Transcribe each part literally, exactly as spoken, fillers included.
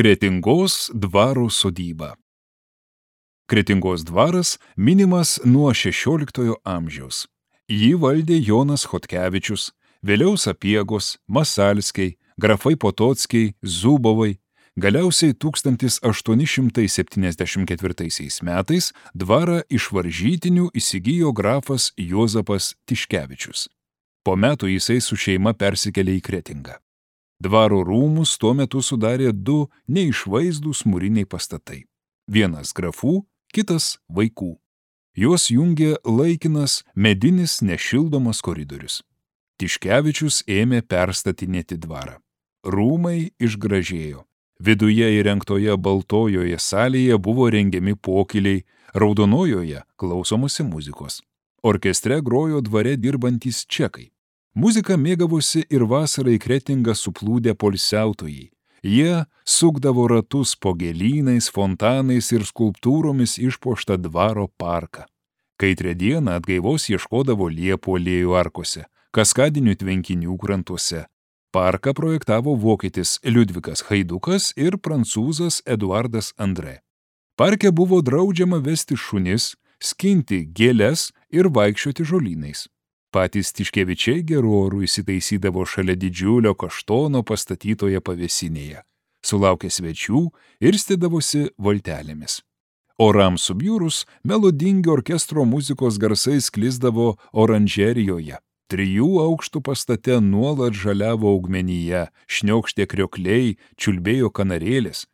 Kretingos dvaro sodyba. Kretingos dvaras minimas nuo šešioliktojo amžiaus. Jį valdė Jonas Chodkevičius, vėliau Sapiegos, Masalskiai, grafai Potockiai, Zubovai. Galiausiai tūkstantis aštuoni šimtai septyniasdešimt ketvirtaisiais metais dvarą iš Varžytinių įsigijo grafas Juozapas Tiškevičius. Po metų jisai su šeima persikėlė į Kretingą. Dvaro rūmus tuo metu sudarė du neišvaizdūs mūriniai pastatai. Vienas grafų, kitas vaikų. Juos jungė laikinas medinis nešildomas koridorius. Tiškevičius ėmė perstatinėti dvarą. Rūmai išgražėjo. Viduje įrengtoje baltojoje salėje buvo rengiami pokyliai, raudonojoje klausomasi muzikos. Orkestre grojo dvare dirbantys čekai. Muziką mėgavosi ir vasarą į Kretingą suplūdę poilsiautojai. Jie sukdavo ratus po gėlynais, fontanais ir skulptūromis išpuoštą dvaro parką. Kaitrią dieną atgaivos ieškodavo liepų alėjų arkose, kaskadinių tvenkinių krantuose. Parką projektavo vokietis Liudvikas Haidukas ir prancūzas Eduardas Andrė. Parke buvo draudžiama vesti šunis, skinti gėles ir vaikščioti žolynais. Patys Tiškevičiai gerų orų įsitaisydavo šalia didžiulio kaštono pastatytoje pavėsinėje. Sulaukė svečių ir stėdavosi valtelėmis. Orams subjūrus melodingi orkestro muzikos garsai sklisdavo oranžerijoje. Trijų aukštų pastate nuolat žaliavo augmenyje, šniokštė kriokliai, čiulbėjo kanarėlės.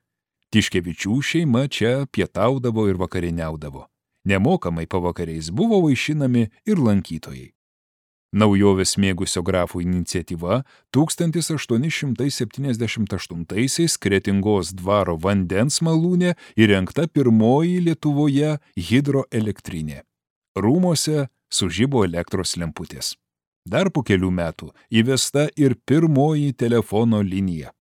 Tiškevičių šeima čia pietaudavo ir vakarieniaudavo. Nemokamai pavakariais buvo vaišinami ir lankytojai. Naujovės mėgusio grafų iniciatyva tūkstantis aštuoni šimtai septyniasdešimt aštuntaisiais Kretingos dvaro vandens malūne įrengta pirmoji Lietuvoje hidroelektrinė. Rūmuose sužibo elektros lemputės. Dar po kelių metų įvesta ir pirmoji telefono linija.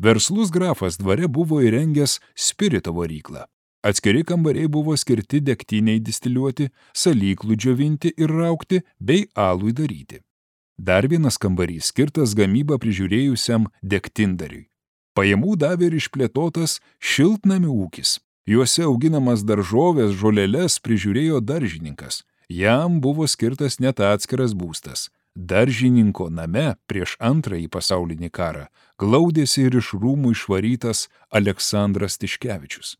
Verslus grafas dvare buvo įrengęs spirito varyklą. Atskiri kambariai buvo skirti degtiniai distiliuoti, salyklų džiovinti ir raukti bei alui daryti. Dar vienas kambarys skirtas gamybą prižiūrėjusiam degtindariui. Pajamų davė ir išplėtotas šiltnamių ūkis. Juose auginamas daržovės, žoleles prižiūrėjo daržininkas. Jam buvo skirtas net atskiras būstas. Daržininko name prieš antrąjį pasaulinį karą glaudėsi ir iš rūmų išvarytas Aleksandras Tiškevičius.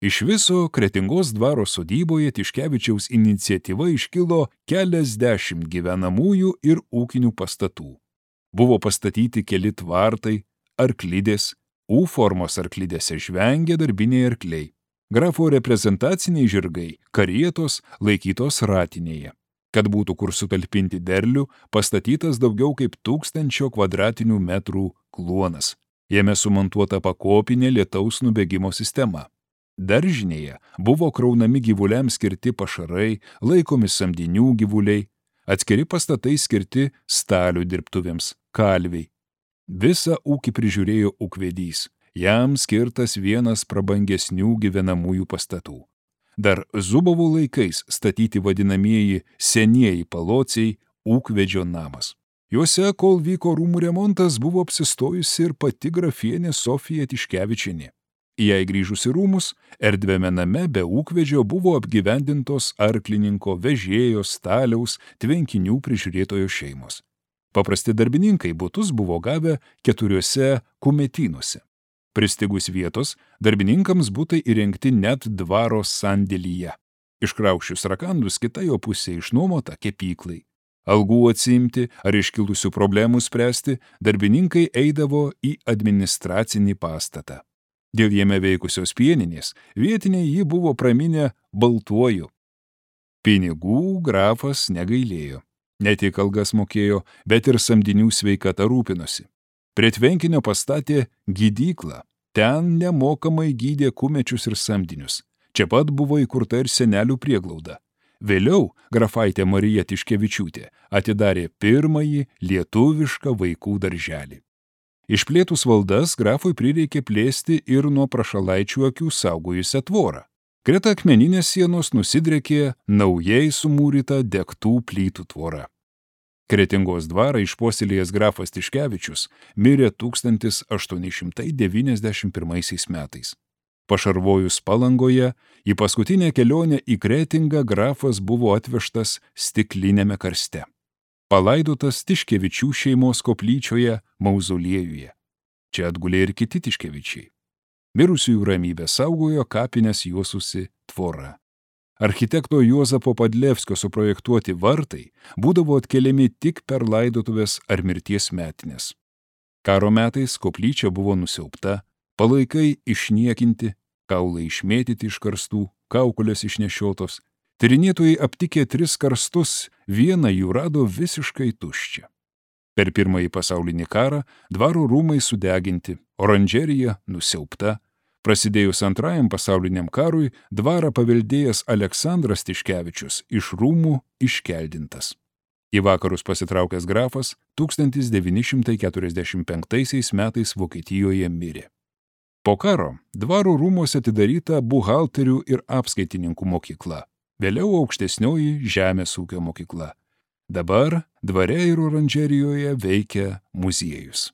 Iš viso Kretingos dvaro sodyboje Tiškevičiaus iniciatyva iškilo keliasdešimt gyvenamųjų ir ūkinių pastatų. Buvo pastatyti keli tvartai, arklidės, U formos arklidėse žvengė darbiniai arkliai. Grafo reprezentaciniai žirgai, karietos laikytos ratinėje. Kad būtų kur sutalpinti derlių, pastatytas daugiau kaip tūkstančio kvadratinių metrų kluonas. Jame sumontuota pakopinė lietaus nubėgimo sistema. Daržinėje buvo kraunami gyvuliams skirti pašarai, laikomi samdinių gyvuliai, atskiri pastatai skirti stalių dirbtuvėms, kalviai. Visą ūkį prižiūrėjo ūkvedys, jam skirtas vienas prabangesnių gyvenamųjų pastatų. Dar Zubovų laikais statyti vadinamieji senieji palociai ūkvedžio namas. Juose, kol vyko rūmų remontas, buvo apsistojusi ir pati grafienė Sofija Tiškevičienė. Jei grįžus į rūmus, erdviame name be ūkvedžio buvo apgyvendintos arklininko, vežėjo, staliaus, tvenkinių prižiūrėtojo šeimos. Paprasti darbininkai butus buvo gavę keturiuose kumetynuose. Pristigus vietos, darbininkams butai įrengti net dvaro sandėlyje. Iškraušius rakandus kita jo pusė išnuomota kepyklai. Algų atsiimti ar iškilusių problemų spręsti, darbininkai eidavo į administracinį pastatą. Dėl jame veikusios pieninės, vietiniai jį buvo praminę baltuoju. Pinigų grafas negailėjo. Ne tik algas mokėjo, bet ir samdinių sveikata rūpinosi. Prie tvenkinio pastatė gydyklą. Ten nemokamai gydė kumečius ir samdinius. Čia pat buvo įkurta ir senelių prieglauda. Vėliau grafaitė Marija Tiškevičiūtė atidarė pirmąjį lietuvišką vaikų darželį. Išplėtus valdas grafui prireikė plėsti ir nuo prašalaičių akių saugojusią tvorą. Greta akmeninės sienos nusidriekė naujai sumūryta degtų plytų tvora. Kretingos dvarą išpuoselėjęs grafas Tiškevičius mirė tūkstantis aštuoni šimtai devyniasdešimt pirmaisiais metais. Pašarvojus Palangoje, į paskutinę kelionę į Kretingą grafas buvo atvežtas stiklinėme karste. Palaidotas Tiškevičių šeimos koplyčioje mauzoliejuje. Čia atgulė ir kiti Tiškevičiai. Mirusiųjų ramybę saugojo kapines juosusi tvora. Architekto Juozapo Padlevskio suprojektuoti vartai būdavo atkeliami tik per laidotuvės ar mirties metinės. Karo metais koplyčia buvo nusiaubta, palaikai išniekinti, kaulai išmėtyti iš karstų, kaukolės išnešiotos. Tyrinėtojai aptikė tris karstus, vieną jų rado visiškai tuščią. Per pirmąjį pasaulinį karą dvaro rūmai sudeginti, oranžerija nusiaubta. Prasidėjus antrajam pasauliniam karui, dvarą paveldėjęs Aleksandras Tiškevičius iš rūmų iškeldintas. Į vakarus pasitraukęs grafas tūkstantis devyni šimtai keturiasdešimt penktaisiais metais Vokietijoje mirė. Po karo dvaro rūmuose atidaryta buhalterių ir apskaitininkų mokykla, vėliau aukštesnioji žemės ūkio mokykla. Dabar dvare ir oranžerijoje veikia muziejus.